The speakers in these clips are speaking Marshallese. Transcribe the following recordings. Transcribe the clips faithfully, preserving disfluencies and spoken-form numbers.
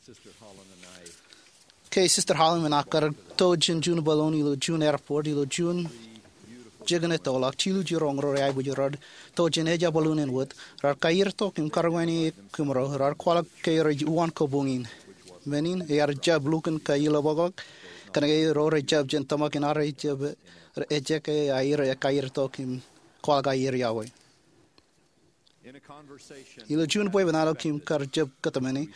Ke Sister Holland im inaaj kar to jān juon bōlōn ilo juon airport ilo juon jikin ettoḷọk, jilu jiroñ ro rej aikuj raar to jān ejja bōlōn in wōt. Raar kaier tok im karwāne kōmro, raar kwaḷọk ke rej uwaan kabuñ in. Men in ear jab lukkuun kailọkḷọk, kōnke ro rej jab jān tōmak in ad rej jab ejjab ke aer kaier tok im kwaḷọk aer iọkwe. Ilo juon bwebwenato im kar jab kōtmāne,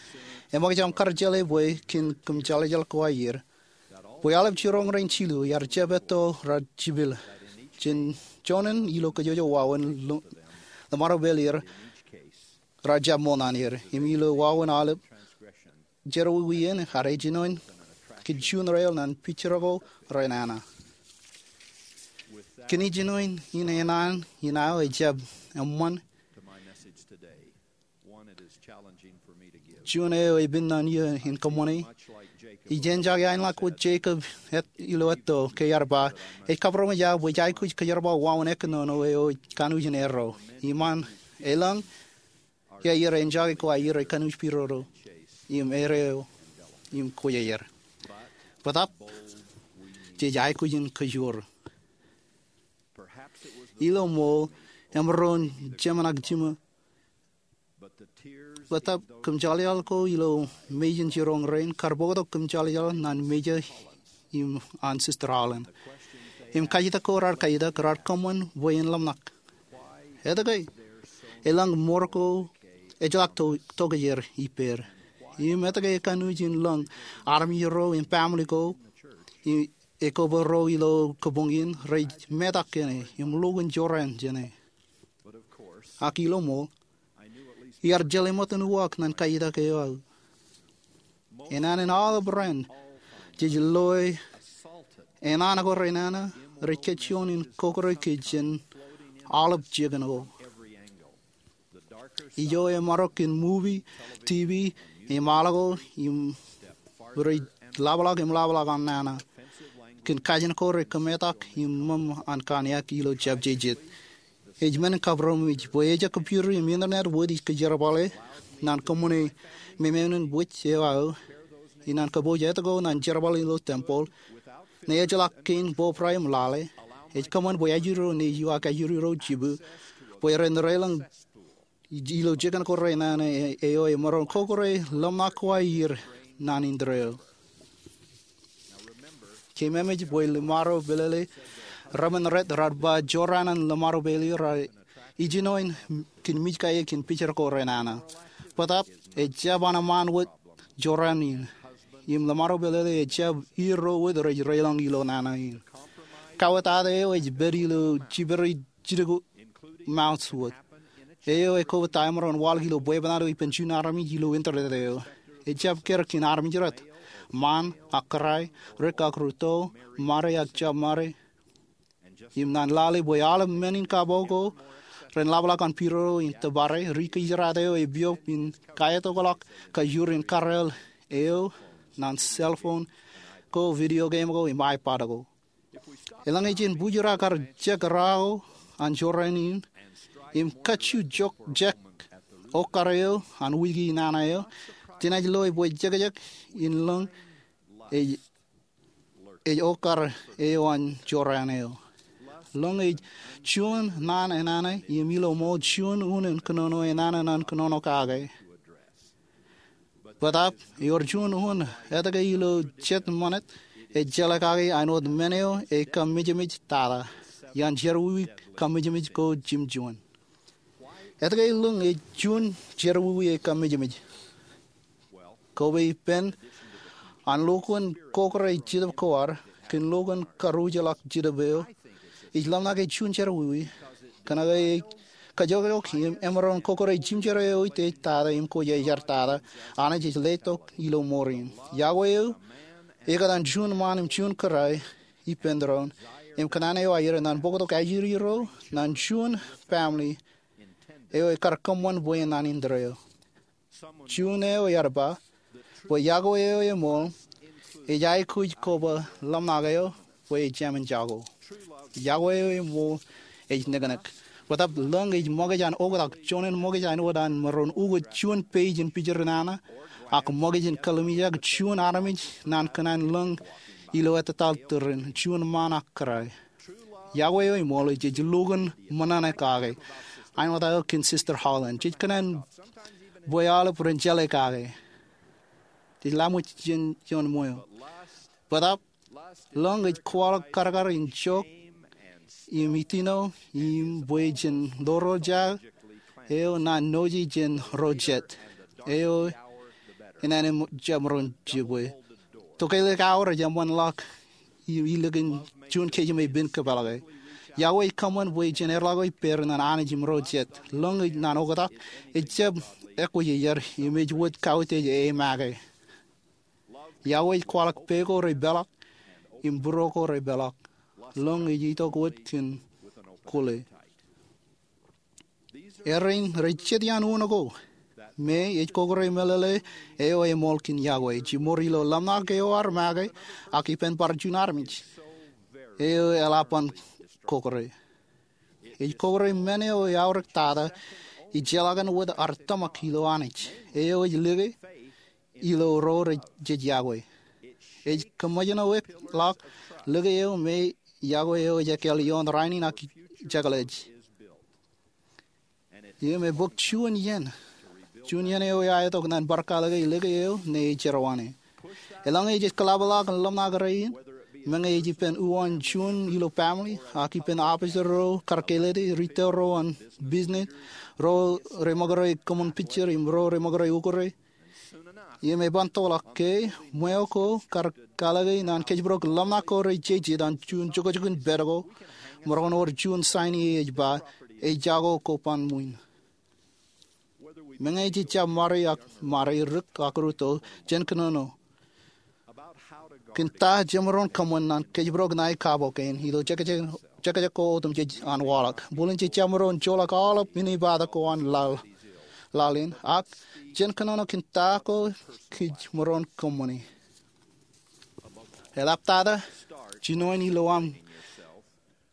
eṃṃakūt im kar jeḷā bwe kōn kōmjeḷājeḷ ko aer, bwe aolep jiroñ rein jilu ear jab etto raar jipel jān joñan ilo kōjwōj wāween lōṃaro pāl er raar jab ṃool ñan er. Im ilo wāween aolep jerọwiwi in, ad ej jinoin kōn juon rael ñan pijjer ko renana. Kōn ijinoin in, enana in aō ejjab eṃṃan juon eo epen ñan iiō in kōṃṃane. Ij enjake aenḷọk wōt Jakob ilo etto ke ear ba, ej kabaromej aō bwe ij aikuj kōjerbal wāween ekkōnono eo ej kanooj in erro. Iṃaan elōñ, iaer enjake ko aer ej kanooj pidodo im erreo im kwejer. Bōtaab, jej aikuj in kōjoor. Ilo ṃool, emaroñ jemān ak jiṃa, bōtaab kōmjeḷājeḷ ko ilo mejān jiroñ rein kar bōktok kōmjeḷājeḷ ñan Major im an Sister Holland. Im kajjitōk ko raar kajjitōk raar kōṃṃan bwe en ḷōmṇak. Etke elōñ mour ko ejjeḷọk tokjāer ippāer? Im etke ekanooj in lōñ armej ro im family ko, ekobōro ilo kabuñ in, rej metak kōn e im lukkuun jorrāān jān e? Ak ilo ṃool, iar jeḷā ṃōttan uwaak ñan kajjitōk eo aō. Enana in aolep raan, jej loe enana ko renana rej kajjioñ in kokore kōj jān aolep jikin ko. Ijo emarok kōn movie, TV, im aḷ ko im rej ḷapḷọk im ḷapḷọk an nana. Kōn kajin ko rej kōmetak im ṃōṃ an kōn eok ilo jabjejet. Ej men in kabaromej bwe ejjab computer im internet wōt ij kōjerbale ñan kōṃṃane memenin wōj eo aō, inaan kōpooj etto ko ñan jerbal ilo tempeḷ, ñe ejjeḷọk kein bobra im lale. Ej kōṃṃan bwe ajri ro nejū ak ajri ro jibū, bwe ren reiḷọñ ilo jikin ko renana eo emaroñ kokore ḷōmṇak ko aer ñan indeeo. Keememej bwe lōṃaro pālele, remen ret raar ba jorrāān an lōṃaro pālele raar ijinoin kōn mej kae kōn picture ko renana. Bōtaab, ejjab an eṃṃaan wōt jorrāān in. Im lōṃaro pālele ejjab ier ro wōt rej reiḷọñ ilo nana in. Kawōtata eo ej pād ilo jipere jidik mounds wōt. Eo ekobōt ta emaroñ waḷọk ilo bwebwenato ippān juon armej ilo internet eo. Ejjab kar kōn armej ret. Ṃaan ak kōrā, rik ak rūtto, mare ak jab mare. Im ñan lale bwe aolep men in kapo ko ren ḷapḷọk an pidodo in tōpare, ri kōjerato eo epiop in kaetokḷọk kajoor in karreel eo ñan cell phone ko, video game ko im iPad ko. Eḷaññe jen bujrak kar jek raan ko an jorrāān in im kajju jek okkar eo an wiki nana eo, jenaaj loe bwe jekjek in lōñ ej okkar eo an jorrāān eo. Lōñ ej juon naan enana im ilo ṃool juon unin kōnono enana ñan kōnono kake. Bōtaab ewōr juon un etke ilo jet ṃanit ej jeḷā kake āinwōt men eo ekaṃmejmej tata iaan jerọwiwi kaṃmejmej ko jimjuon. Etke lōñ ej juon jerọwiwi ekaṃmejmej? Koba ippān an lukkuun kokore jetōb ko ad kōn lukkuun karuj ḷọk jetōb eo, ij ḷōmṇak ej juon jerọwiwi, kōnke ej kajjojo im emaroñ kokore jimjerọwiwi eo ej tata im kwōj jar tata. Anij ej letok ilo mour in. Yokwe eo ekōtaan juon ṃaan im juon kōrā ippān doon im kōṇaan eo aer ñan bōktok ajri ro ñan juon family eo ekar kōṃṃan bwe en ñan indeeo. Juon eo ear ba bwe yokwe eo eṃool ej aikuj koba ḷōmṇak eo bwe ejāmin jako. Yokwe eo eṃool ej niknik. Bōtab lōñ ej ṃōkaj an oktak. Juon in ṃōkaj āinwōt an maroñ ukōt juon page in picture in nana, ak ṃōkaj in kallimjek juon armej naan kōṇaan lōñ ilo ettōtaḷ tūrin juon ṃaan ak kōrā. Iọkwe eo eṃool ej, jej lukkuun ṃōṇōṇō kake. Āinwōt aō kōn Sister Holland, jej kōṇaan bwe aolep ren jeḷā kake. Jej laṃōj jān ioon ṃweo. Bōtab lōñ ej kwaḷọk karkar in jook im itino, im bwe jen ḷoḷojaō eo naan noje jān ro jet eo, inaan im jab maroñ jibwe. Tokālik awa rej eṃṃanḷọk im ilikin juon kōj im epen kōpeḷḷọke. Iọkwe ej kōṃṃan bwe jen erḷọk ippāer naan Anij im ro jet. Lōñ ej naan oktak, ejjab ekwōjarjar, im ej wōt kautiej e make. Iọkwe ej kwaḷọk pā ko repeḷḷọk im būruō ko repeḷḷọk. Lōñ ej itok wōt kōn kwōle. Erein rej jet iaan uno ko me ej kōkōrā meḷeḷe eo eṃool kōn iọkwe. Jiṃor ilo ḷōmṇak eo ar make, ak ippān bar juon armej eo eḷap an kōkōrā. Ej kōkōrā men eo eaorōk tata ijjeḷọkin wōt ad tōmak ilo Anij eo ej lōke ilo ro rej iọkwe. Ej kōṃṃoolol ḷọk lōke eo me iọkwe eo ej ekkāāl ioon rainin ak jekḷaj. Im ebōk juon iien, juon iien eo eaetok naan bar kalōke lōke eo ṇe ej jerọwiwi. Eḷaññe jej kōḷapḷọk ḷōmṇak rein, meñe ej ippān uwaan juon ilo family, ak ippān office ro kar kālōte, retail ro an business, ro reṃōkūrā kōṃṃan picture, im ro reṃōkūrā ukōrā. Im eban tōlḷọk ke ṃweo ko kar kalōke naan kōjparok ḷōmṇak ko rej jeje an juon jokjok in pād ko, maroñ wōr juon sign ie ej ba, ejako ko ban ṃwiin. Meñe jej jab ṃare ak ṃare, rik ak rūtto, jen kōnono kōn ta jemaroñ kōṃṃan naan kōjparok ṇae kabo kein ilo jekjek ko otemjej an waḷọk. Bōlen jej jab maroñ joḷọk aolep inepata ko an laḷ in, ak jen kōnono kōn ta ko kōj jemaroñ kōṃṃane. Eḷaptata, jinoin ilo aṃ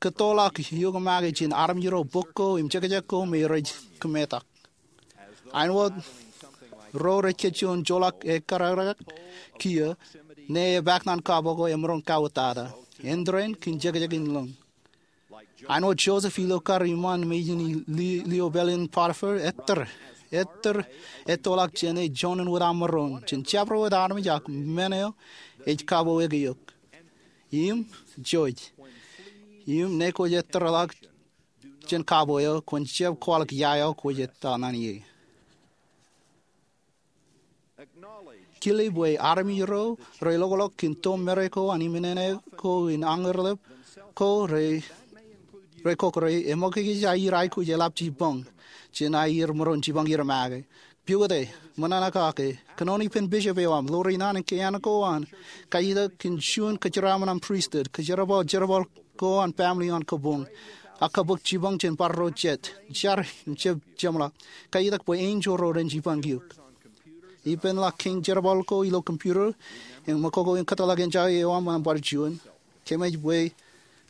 kōttoḷọk eok make jān armej ro, bok ko, im jekjek ko me rej kōmetak. Āinwōt ro rej kōjro in joḷọk ekkar kiiō, ṇe epaak naan kabo ko emaroñ kauwōtata. Āindein kōn jekjek in lōñ. Āinwōt Joseph ilo kar iṃaan mejān lio pāleen Potiphar, ettōr, ettōr ettoḷọk jāne juon in wōt aṃ maroñ, jān jabdewōt armej ak men eo ej kabo eok. Im, Joseph, im ṇe kwōj ettōrḷọk jān kabo eo, kwōn jab kwaḷọk ia eo kwōj ettā naan ie. Kile bwe armej ro reloklok kōn toṃ meḷeḷe ko an iminene ko in añerḷap ko rej kōkōrā, eṃōkaj aier aikuj eḷap jipañ jān aier maroñ jipañ er make. Piukate, ṃōṇōṇō kake, kōnono ippān bishop eo aṃ, ḷoor naan in kaiān ko an, kaiitak kōn juon kōjeraṃōn aṃ priesthood, kōjerbal jerbal ko an family an kabuñ, ak kabōk jipañ jān bar ro jet, jar im jab jeṃḷọk, kaiitak bwe enjeḷ ro ren jipañ eok. Ippān ḷọk kein jerbal ko ilo computer, im ṃōkoko in kōtḷọk enjeḷ eo aṃ an bar juon, kōmij bwe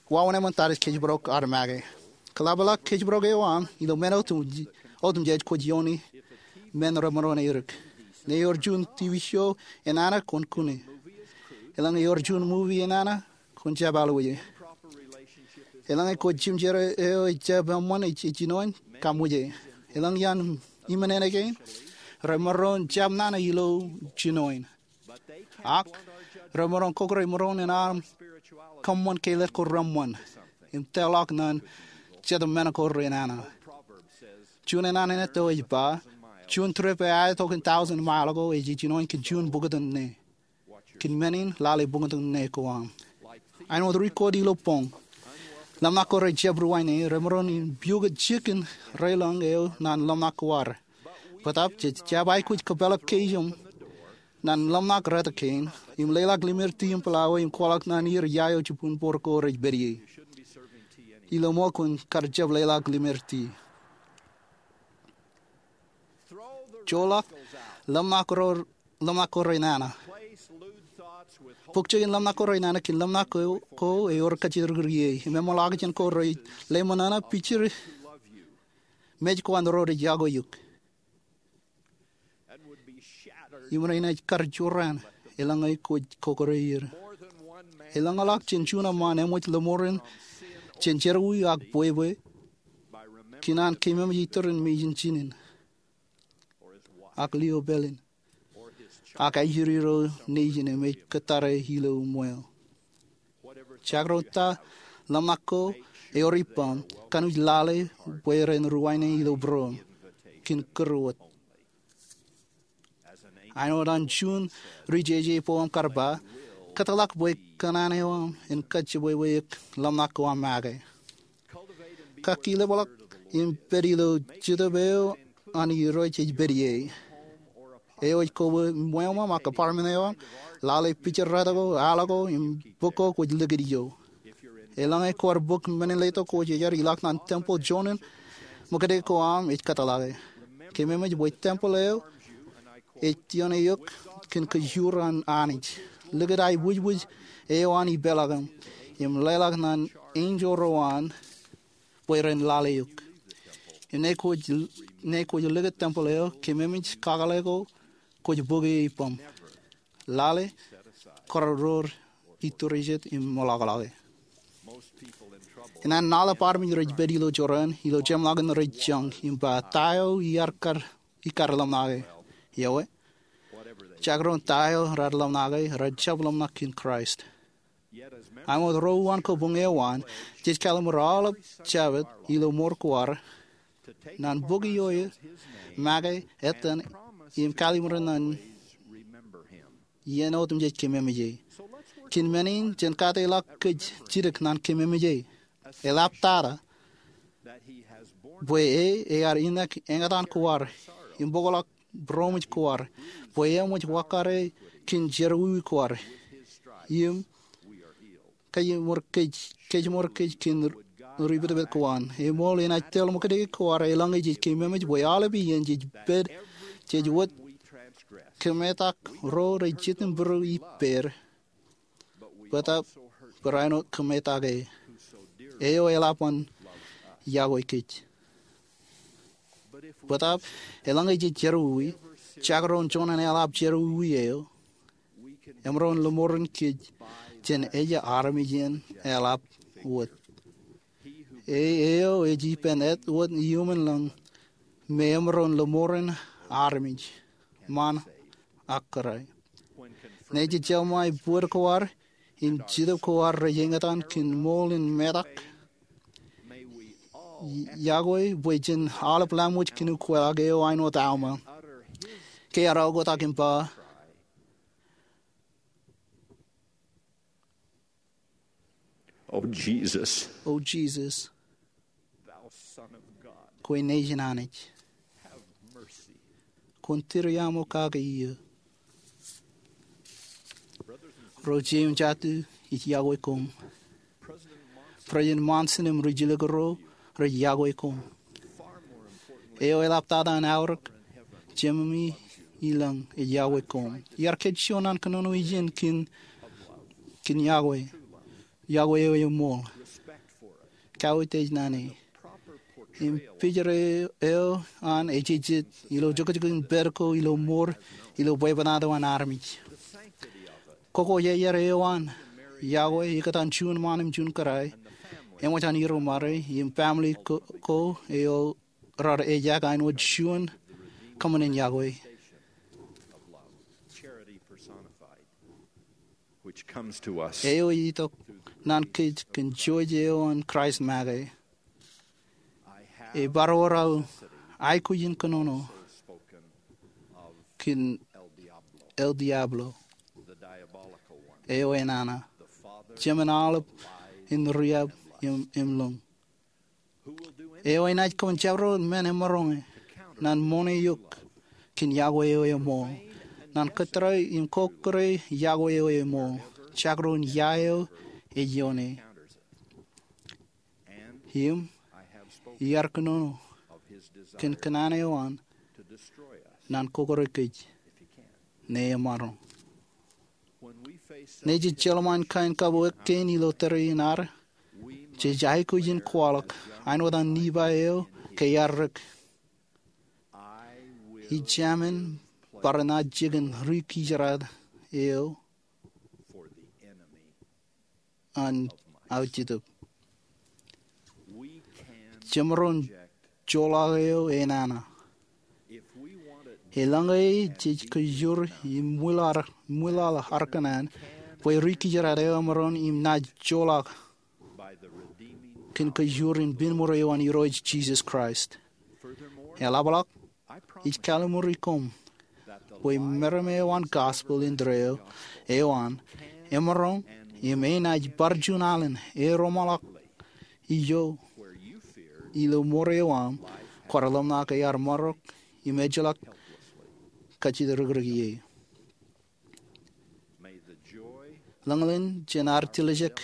wāween eṃṃan tarish kōjparok ad make. Kōḷapḷọk kōjparok eo aṃ ilo men otemjej kwōj iioone men remaroñ erik. Ṇe ewōr juon TV show enana, kwōn kune. Eḷaññe ewōr juon movie enana, kwōn jab alwōje. Eḷaññe kwōj jimjer eo ejjab eṃṃan ej jinoin, kaṃṃoolol. Eḷaññe ian iminene kein, remaroñ jab nana ilo jinoin. Ak remaroñ kōkōrā maroñ in aṃ kōṃṃan ke letok ko reṃṃan im tōlḷọk naan jet men ko renana. Juon enana in etto ej ba, juon trip eo aetok in thousand mile ko ej jinoin kōn juon bukot in ṇe. Kōn men in, lale bukot in ṇe ko aṃ. Āinwōt ri-court ilo boñ, ḷōmṇak ko rej jab ruwainene, remaroñ in piukot jikin relōñ eo naan ḷōmṇak ko ad. Bōtab jej jab aikuj kōpeḷḷọk kōj im naan ḷōmṇak retak kein, im leḷọk limeriet im pālawe im kwaḷọk naan er ia eo jibboñbōr ko rej pād ie. Ilo ṃool kwōn kar jab leḷọk limeriet. Joḷọk ḷōmṇak ko renana. Pukjek in ḷōmṇak ko renana kōn ḷōmṇak ko ewōr kōjatdikdik ie im eṃṃanḷọk jān ko rej leṃōṇōṇō picture mej ko an ro rej yokwe eok. Im renaaj kar jorrāān eḷaññe kwōj kokore er. Eḷaññe ḷọk jān juon eṃṃaan eṃōj lōṃoor in jān jerọwiwi ak bwebwe, kōn an keememej iturin mejin jinen ak lio pālen ak ajri ro nejin im ej kōttare ilo ṃweo. Jakrōn ta ḷōmṇak ko ewōr ippaṃ, kōn wōj lale bwe ren ruwainene ilo būruōṃ kōn kūr wōt. Āinwōt an juon ri jeje bwe aṃ kar ba, kōtḷọk bwe kōṇaan eo aṃ en kajjitōk bwe ḷōmṇak ko aṃ make. Kakilōkḷọk im pād ilo Jetōb eo an Irooj ej pād ie. Eo ej koba ṃweo ṃōṃ ak apartment eo aṃ, lale pijerato ko, al ko, im bok ko kwōj likūt ijo. Eḷaññe kwaar bōk men in letok kwōj ear ilọk ñan tempel joñan ṃōkade ko aṃ ej kōtḷọke. Keememej bwe tempel eo ej tion eok kōn kōjro an Anij. Likūt aiboojoj eo an ipeḷaakin im leḷọk ñan enjeḷ ro an bwe ren lale eok. Im ñe kwōj likūt tempel eo, keememej kakōḷḷe ko kwōj bōk ie ippaṃ. Lale, kōrọọr, iturijet im ṃōḷọkḷọke. Inaan aolep armej rej pād ilo jorrāān ilo jeṃḷọkin rej joñ im ba ta eo ikar ḷōmṇake. Ewi, jakrōn ta eo raar ḷōmṇake, rej jab ḷōmṇak kōn Kraist. Āinwōt ro uwaan kabuñ eo an, jej kallimur aolep Jabōt ilo mour ko ad ñan bōk ioe, make, etan, im kallimur ñan iien otemjej kememej e. Kōn men in jen kate ḷọk kōj jidik ñan kememej e. Eḷaptata bwe e ear iñak eñtaan ko ad im bōkḷọk būroṃōj ko ad, bwe eṃōj wakkare kōn jerọwiwi ko ad, im kōj ṃōr kōj kōn ri pātpāt ko an. Eṃool enaaj tōl ṃōkade ko ad eḷaññe jej kememej bwe aolep iien jej pād jej wōt kōmetak ro rej jitōnbōro ippād, bōtaab barāinwōt kōmetak e, eo eḷap an yokwe kōj. Bōtaab eḷaññe jej jerọwiwi, jakrōn joñan eḷap jerọwiwi eo, emaroñ lōṃoor kōj jān ejja armej in eḷap wōt. E eo ej ippān āt wōt iuṃwin lañ me emaroñ lōṃoor armej, ṃaan ak kōrā. Ñe jej jeḷā bōd ko ad im Jetōb ko ad rej eñtaan kōn ṃool in metak, yokwe bwe jen aolep laṃōj kōn ukweḷọk eo āinwōt Alma, ke ear oktak im ba, O Jisōs, O Jisōs, kwe Nejin Anij, kwōn tūriaṃo kake iiō. Ro jeiū im jatū, ij yokwe koṃ. President Monson im ri jilkinro rej yokwe koṃ. Eo eḷaptata an aorōk, Jememi ilañ ej yokwe koṃ. Iar kōj juon an kōnono ijin kōn, kōn yokwe, yokwe eo eṃool, kautiej naan e, im pijera eo an ejejjet ilo jokjok in pād ko ilo mour ilo bwebwenato an armej. Kōkōjeaer eo an yokwe ikōtaan juon ṃaan im juon kōrā eṃōj an iroṃare im family ko, ko eo raar ejaak āinwōt juon kōṃṃan in yokwe eo ej itok naan kōj kōn jouj eo an Kraist make. Ebar wōr aō aikuj in kōnono kōn El Diablo, eo enana, jemān aolep in riab im, im lōñ, eo enaaj kōṃṃan jabdewōt men emaroñe naan ṃoṇe eok kōn yokwe eo eṃool, naan kōttar im kokkure yokwe eo eṃool, jakrōn ia eo ej ioone. Im iar kōnono kōn kōṇaan eo an naan kokkure kōj ñe emaroñ. Ñe jej jeḷā ṃōn kain kabuwōk kein ilo tōre in ad, jej aikuj in kwaḷọk āinwōt an Nifai eo ke iar rik. Ij jāmin bar naaj jikin ri-kijeraad eo an aujitōb. Jemaroñ joḷọk eo enana. Eḷaññe jej kōjro im ṃwilaḷ, ṃwilaḷ ar kōṇaan bwe ri-kijeraad eo emaroñ im naaj joḷọk kōn kōjro in pen ṃōreo an Irooj Jisōs Kraist. Eḷapḷọk, ij kallimuri koṃ bwe meram eo an gospel indeeo eo an emaroñ im enaaj bar juon alen eromaḷọk ijo ilo ṃōreo aṃ kwaar ḷōmṇak ear marok im ejjeḷọk kajjitōkrōk ie. Ḷōñḷōñ jān ad tiljek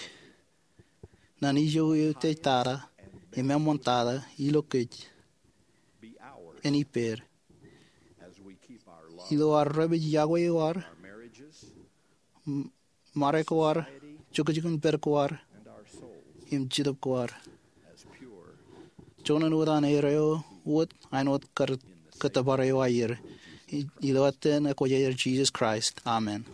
ñan ijo eutiej tata im eṃṃan tata ilo kōj en ippād ilo ad repej iọkwe eo ad, ṃade ko ad, jukjukinpād ko ad, im jetōb ko ad. Joñan wōt an erreo wōt āinwōt kōttōpar eo aier. Ilo etan ekwōjarjar Jisōs Kraist, amen.